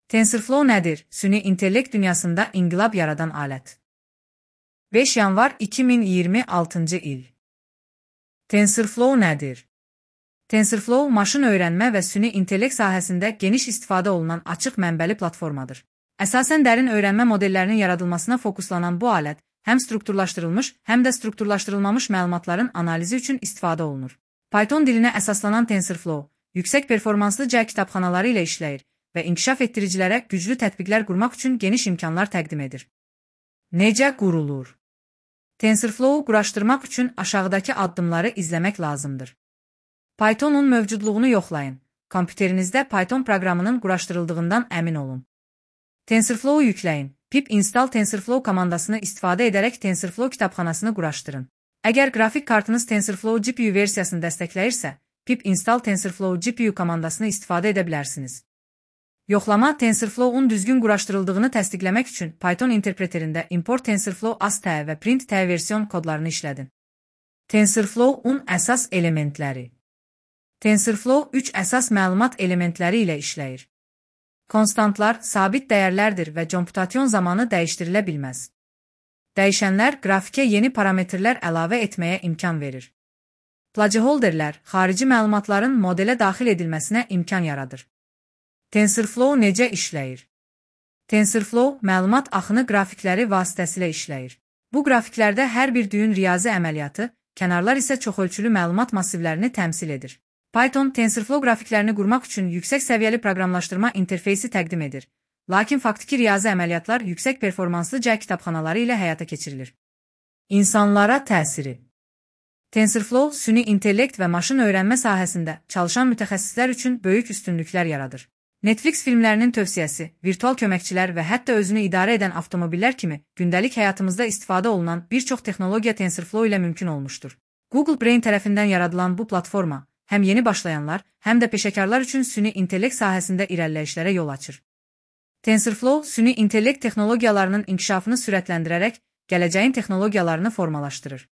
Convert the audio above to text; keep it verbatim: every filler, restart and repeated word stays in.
TensorFlow nədir? Süni intellekt dünyasında inqilab yaradan alət. beş yanvar iki min iyirmi altıncı il. TensorFlow nədir? TensorFlow, maşın öyrənmə və süni intellekt sahəsində geniş istifadə olunan açıq mənbəli platformadır. Əsasən dərin öyrənmə modellərinin yaradılmasına fokuslanan bu alət, həm strukturlaşdırılmış, həm də strukturlaşdırılmamış məlumatların analizi üçün istifadə olunur. Python dilinə əsaslanan TensorFlow, yüksək performanslı C kitabxanaları ilə işləyir və inkişaf etdiricilərə güclü tətbiqlər qurmaq üçün geniş imkanlar təqdim edir. Necə qurulur? TensorFlow-u quraşdırmaq üçün aşağıdakı addımları izləmək lazımdır. Pythonun mövcudluğunu yoxlayın. Kompüterinizdə Python proqramının quraşdırıldığından əmin olun. TensorFlow-u yükləyin. Pip install TensorFlow komandasını istifadə edərək TensorFlow kitabxanasını quraşdırın. Əgər qrafik kartınız TensorFlow G P U versiyasını dəstəkləyirsə, pip install TensorFlow G P U komandasını istifadə edə bilərsiniz. Yoxlama TensorFlow-un düzgün quraşdırıldığını təsdiqləmək üçün Python interpreterində import TensorFlow A S T və print T version kodlarını işlədin. TensorFlow-un əsas elementləri. TensorFlow üç əsas məlumat elementləri ilə işləyir. Konstantlar sabit dəyərlərdir və computasyon zamanı dəyişdirilə bilməz. Dəyişənlər qrafikə yeni parametrlər əlavə etməyə imkan verir. Placeholderlər xarici məlumatların modelə daxil edilməsinə imkan yaradır. TensorFlow necə işləyir? TensorFlow məlumat axını qrafikləri vasitəsilə işləyir. Bu qrafiklərdə hər bir düyün riyazi əməliyyatı, kənarlar isə çoxölçülü məlumat massivlərini təmsil edir. Python TensorFlow qrafiklərini qurmaq üçün yüksək səviyyəli proqramlaşdırma interfeysi təqdim edir. Lakin faktiki riyazi əməliyyatlar yüksək performanslı C kitabxanaları ilə həyata keçirilir. İnsanlara təsiri. TensorFlow, süni intellekt və maşın öyrənmə sahəsində çalışan mütəxəssislər üçün böyük üstünlüklər yaradır. Netflix filmlərinin tövsiyəsi, virtual köməkçilər və hətta özünü idarə edən avtomobillər kimi gündəlik həyatımızda istifadə olunan bir çox texnologiya TensorFlow ilə mümkün olmuşdur. Google Brain tərəfindən yaradılan bu platforma, həm yeni başlayanlar, həm də peşəkarlar üçün süni intellekt sahəsində irəliləyişlərə yol açır. TensorFlow, süni intellekt texnologiyalarının inkişafını sürətləndirərək gələcəyin texnologiyalarını formalaşdırır.